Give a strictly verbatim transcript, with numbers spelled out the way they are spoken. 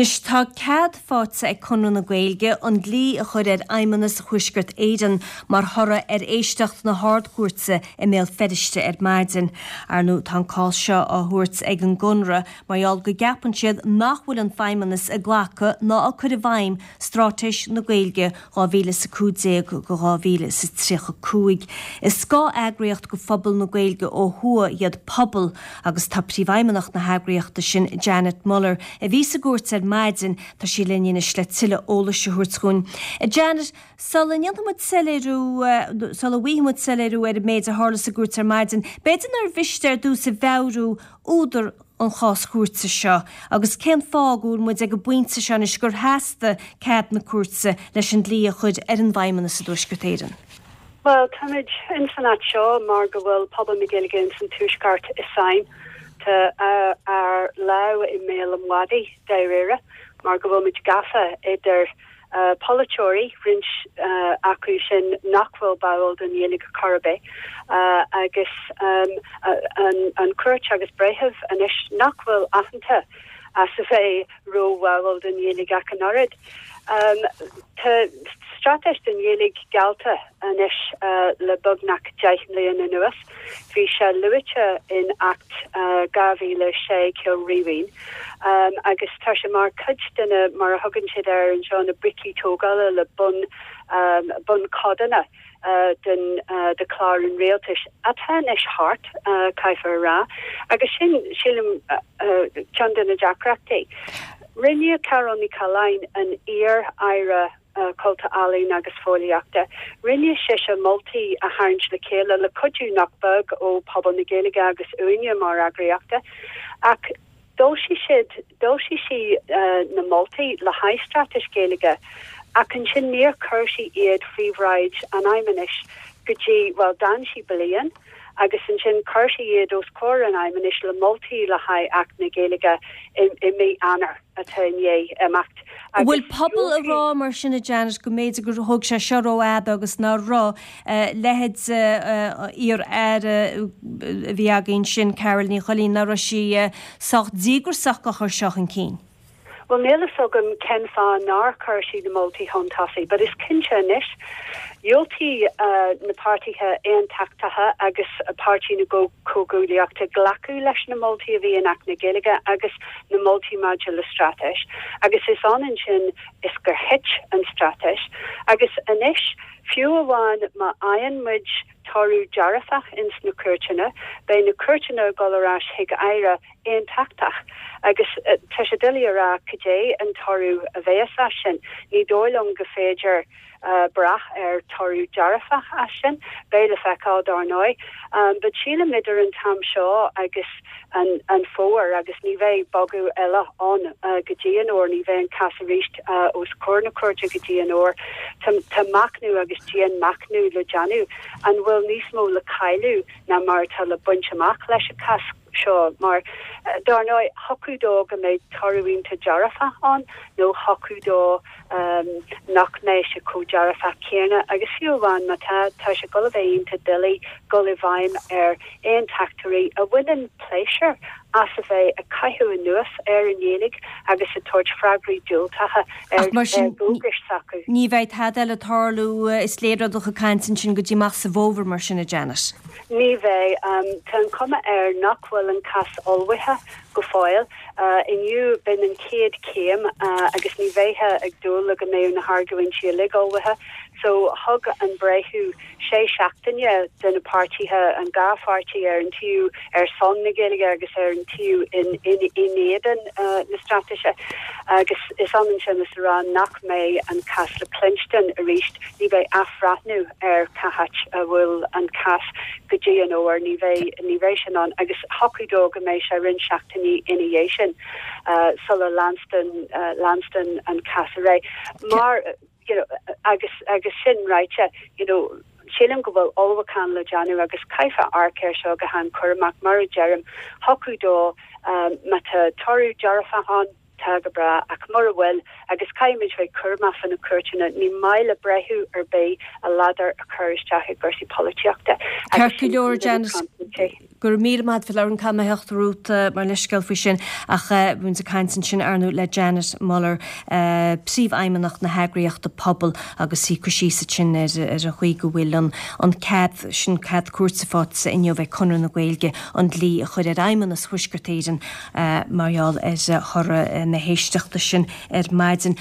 Anois tá cead faighte ag Conradh na Gaeilge an dlí a chur ar Fheidhmeannas Thuaisceart Éireann mar thoradh ar éisteacht na hArd-Chúirte i mBéal Feirste ar maidin. Ar ndóigh tá an cás seo á thabhairt ag an gConradh mar gheall go gceapann siad nach bhfuil an Feidhmeannas ag glacadh ná ag cur i bhfeidhm Straitéis na Gaeilge dhá mhíle is a cúig déag go dhá mhíle is a tríocha cúig. Is scáth-eagraíocht go phobal na Gaeilge ó thuaidh iad Pobal agus tá príomhfheidhmeannach na heagraíochta sin Janet Muller a bhí sa gcúirt ar maidin tá sí linn anois le tuilleadh eolais a thabhairt dúinn. Janet, sula ndéanfaimid soiléiriú sula bhfaighimid soiléiriú ar an méid a tharla sa gcúirt ar maidin, b'fhéidir nár mhiste ar dtús a mheabhrú údar an chás chúirte seo agus cén fáth go bhfuil muid ag an bpointe seo anois gur theastaigh cead na cúirte leis an dlí a chur ar an bhFeidhmeannas i dTuaisceart Éireann. Well, táimid in san áit seo mar go bhfuil pobal na Gaeilge in san Tuaisceart i sáinn tá ár lámh i mbéal an mhadaidh dáiríre mar go bhfuil muid gafa idir uh, polaiteoirí roinnt uh, acu sin nach bhfuil báúil don Ghaeilge chor ar bith uh, agus um, uh, an, an chúirt agus breitheamh anois nach bhfuil aitheanta as a bheith róbháúil don Ghaeilge ach an oiread. Um, tá straitéis don Ghaeilge geallta anois uh, le beagnach deich mbliana anuas. Bhí sé luaite in Acht uh, dhá mhíle sé Cill Rímhinn. Um, agus tá sé mar chuid de na mar a thugann siad air anseo na bricí tógála le bun um, bunchodanna uh, den uh, de chlár an rialtais atá anois thart uh, caithfear rá agus sin sílim uh, uh, ceann de na deacrachtaí. Rinne Carál Ní Chathalláin an iar-aire uh, cultúir ealaíon agus fóillíochta. Rinne sise moltaí a tharraingt le chéile le cuidiú nach beag ó pobal na Gaeilge agus uainne mar eagraíocht ach d'fhoilsigh siad d'fhoilsigh sí uh, na moltaí le haghaidh straitéis Gaeilge ach ansin níor chuir sí iad faoi bhráid an fheidhmeannais go dtí well d'fhan sí bliain agus ansin chuir sí iad os comhair an fheidhmeannais le moltaí le haghaidh Acht na Gaeilge i mí Eanáir atá i ndiaidh imeacht. Bhfuil pobal ag rá mar sin a Janet go mb'fhéidir gur thóg sé seo rófhada agus ná raibh leithéid iar-aire a bhí againn sin Carál Ní Chuilín ná raibh sí sách díograiseach a chur seo chun cinn. Well níl a fhios agam cén fáth nár chuir sí na moltaí chun tosaigh, but is cinnte anois dhiúltaigh uh, na páirtithe aontachtacha agus páirtí na go comhghuaillíochta glacadh leis na moltaí a bhí in Acht na Gaeilge agus na moltaí maidir le straitéis. agus is ionann sin is gur thit an straitéis agus anois fiú amháin má fhaigheann muid toradh dearfach ins na cúirteanna, beidh na cúirteanna ag dul ar ais chuig aire aontachtach agus uh, tá sé doiligh a rá cad é an toradh a bheas as sin. Ní dóigh liom gur féidir uh, brath ar toradh dearfach as sin, beidh le feiceáil dar ndóigh. Um, but sílim idir an t-am seo agus an, an fómhar agus ní bheidh bogadh eile ann uh, go dtí an fhómhar ní bheidh an cás arís uh, os comhair na cúirte go dtí an fhómhar Tá machnamh agus dianmhachnamh le déanamh an bhfuil níos mó le cailleadh ná mar atá le baint amach leis an cás seo mar uh, dar ndóigh thiocfadh dó go mbeidh toradh iontach dearfach ann nó thiocfadh dó um, nach mbeidh sé chomh dearfach céanna agus fiú amháin má tá tá sé go bheith iontach doiligh dul i bhfeidhm ar aontachtóirí a bhaineann pléisiúr as a bheith ag caitheamh anuas ar an nGaeilge agus ag tabhairt freagraí diúltacha ar mar sin dualgais s'acu. Ní bheidh tada le tarlú is léir ó do chuid cainte sin go dtí amach sa bhfómhar mar sin a Janet. Ní bheidh um, tá an cuma air nach bhfuil an cás ullmhaithe go fóill uh, inniu b'in an chéad chéim uh, agus ní bheifeá ag dúil le go mbeadh na hargóintí uilig ullmhaithe, so thug an breitheamh sé seachtaine do na páirtithe an dhá pháirtí ar an taobh ar son na Gaeilge agus ar an taobh in in in éadan uh, na straitéise agus is ionann sin is rá nach mbeidh an cás le cluinstin arís ní bheidh athbhreithniú ar cá háit a bhfuil an cás go dtí an fhómhar ní bheidh ní bheidh sin ann agus thiocfadh dó go mbeidh sé roinnt seachtainí ina dhiaidh sin uh, sula leanstan uh, leanstan an cás ar aghaidh mar you know, agus agus sin ráite you know, sílim go bhfuil ullmhúchán le déanamh agus caithfear amharc air seo go han-chúramach mar a deirim thiocfadh dó um, má tá toradh dearfach ann tá go breá ach mura bhfuil agus caithfimid bheith cúramach faoi na cúirteanna ní maith le breitheamh ar bith a ladar a chur isteach i gcúrsaí polaitíochta. Ceart go leor Janet Go raibh míle maith agat caithfidh mé theacht romhat mar leithscéal faoi sin ach bhí muid ag caint ansin ar ndóigh le Janet Muller, príomhfheidhmeannach na heagraíochta Pobal agus í ag cur síos ansin ar ar an chaoi go bhfuil an an cead sin cead cúirte faighte inniu ag Conradh na Gaeilge an dlí a chur ar Fheidhmeannas Thuaisceart Éireann mar gheall ar thoradh na héisteachta sin ar maidin.